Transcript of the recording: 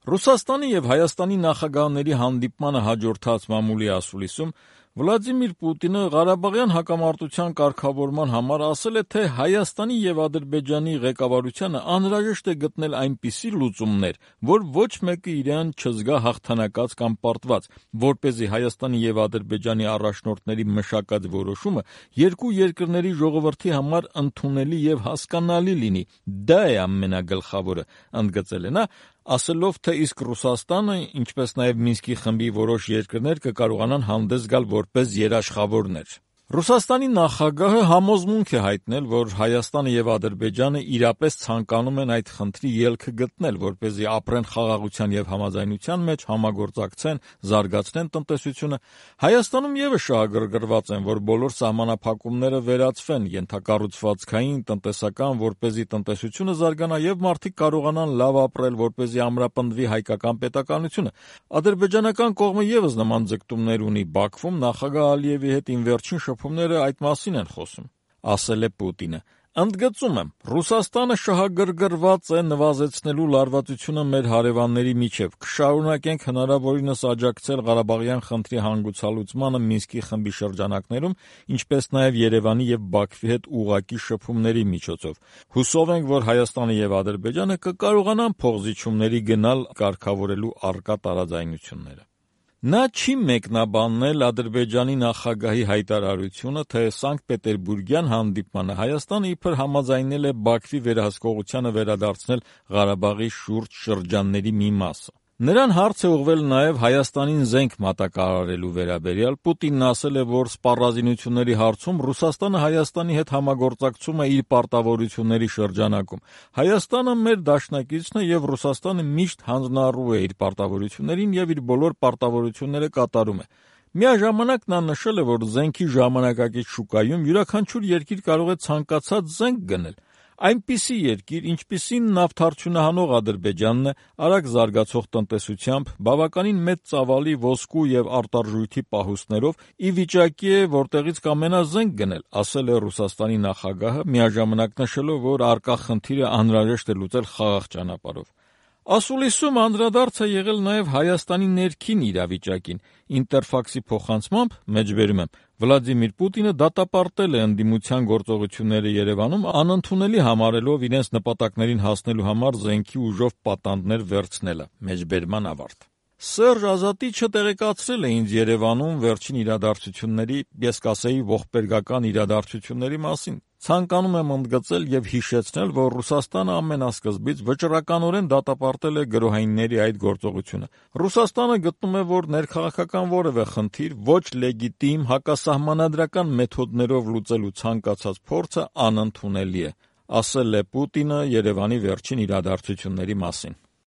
Ռուսաստանի եւ Հայաստանի նախագահների հանդիպմանը հաջորդած մամուլի ասուլիսում Վլադիմիր Պուտինը Ղարաբաղյան հակամարտության կարգավորման համար ասել է, թե Հայաստանի եւ Ադրբեջանի ղեկավարությանը անհրաժեշտ է գտնել այնպիսի լուծումներ, որ ոչ մեկը իրեն չզգա հաղթանակած կամ պարտված, որպեսզի Հայաստանի եւ Ադրբեջանի առաջնորդների մշակած որոշումը երկու երկրների ժողովրդի համար ընդունելի եւ հասկանալի լինի։ Դա է ամենագլխավորը, ընդգծել է նա, ասելով, թե իսկ Ռուսաստանը, ինչպես նաև Մինսկի խմբի որոշ երկրներ կկարողանան հանդես գալ որպես երաշխավորներ։ Ռուսաստանի նախագահը համոզմունք է հայտնել, որ Հայաստանը եւ Ադրբեջանը իրապես ցանկանում են այդ խնդրի ելքը գտնել, որպեսզի ապրեն խաղաղության եւ համաձայնության մեջ, համագործակցեն, զարգացնեն տնտեսությունը։ Հայաստանում եւս շահագրգռված են, որ բոլոր սահմանափակումները վերացվեն, ենթակառուցվածքային, տնտեսական, որպեսզի տնտեսությունը զարգանա եւ մարդիկ կարողանան լավ ապրել, որպեսզի ամրապնդվի հայկական պետականությունը։ Ադրբեջանական կողմը եւս նման ձգտումներ ունի Բաքվում, նախագահ Ալիևի հետ վերջին շփումները այդ մասին են խոսում, ասել է Պուտինը։ Ընդգծում եմ, Ռուսաստանը շահագրգռված է նվազեցնելու լարվածությունը մեր հարևանների միջև։ Կշարունակենք հնարավորինս աջակցել Ղարաբաղյան խնդրի հանգուցալուծմանը Մինսկի խմբի շրջանակներում, ինչպես նաև Երևանի եւ Բաքվի հետ ուղղակի շփումների միջոցով։ Հուսով ենք, որ Հայաստանը եւ Ադրբեջանը կկարողանան փոխզիջումների գնալ կարգավորելու առկա տարաձայնությունները։ Նա չի մեկնաբանել Ադրբեջանի նախագահի հայտարարությունը, թե Սանկտ Պետերբուրգյան հանդիպմանը Հայաստանը իբր համաձայնել է Բաքվի վերահսկողությանը վերադարձնել Ղարաբաղի շուրջ շրջանների մի մասը։ Նրան հարց է ուղղվել նաև Հայաստանին զենք մատակարարելու վերաբերյալ։ Պուտինն ասել է, որ սպառազինությունների հարցում Ռուսաստանը Հայաստանի հետ համագործակցում է իր պարտավորությունների շրջանակում։ Հայաստանը մեր դաշնակիցն է եւ Ռուսաստանը միշտ հանձնառու է իր պարտավորություններին եւ իր բոլոր պարտավորությունները կատարում է։ Միաժամանակ նա նշել է, որ զենքի ժամանակակից շուկայում յուրաքանչյուր երկիր կարող է ցանկացած զենք գնել։ Այնպիսի երկիր, ինչպիսին նավթարդյունահանող Ադրբեջանն է, արագ զարգացող տնտեսությամբ, բավականին մեծ ծավալի ոսկու եւ արտարժույթի պահուստներով ի վիճակի է որտեղից կամենա զենք գնել, ասել է Ռուսաստանի նախագահը, միաժամանակ նշելով, որ առկա խնդիրը անհրաժեշտ է լուծել խաղաղ ճանապարհով։ Ասուլիսում անդրադարձ է եղել նաև Հայաստանի ներքին իրավիճակին։ Ինտերֆաքսի փոխանցմամբ, մեջբերում եմ, Վլադիմիր Պուտինը դատապարտել է ընդդիմության գործողությունները Երևանում, անընդունելի համարելով իրենց նպատակներին հասնելու համար զենքի ուժով պատանդներ վերցնելը։ Մեջբերման ավարտ։ Սերժ Ազատիչը տեղեկացրել է ինձ Երևանում վերջին իրադարձությունների, ես կասեի ողբերգական իրադարձությունների մասին։ Ցանկանում եմ ընդգծել եւ հիշեցնել, որ Ռուսաստանը ամենասկզբից վճռականորեն դատապարտել է գրոհայինների այդ գործողությունը։ Ռուսաստանը գտնում է, որ ներքաղաքական որևէ խնդիր ոչ լեգիտիմ հակասահմանադրական մեթոդներով լուծելու ցանկացած փորձը անընդունելի է, ասել է Պուտինը Երևանի վերջին իրադարձությունների մասին։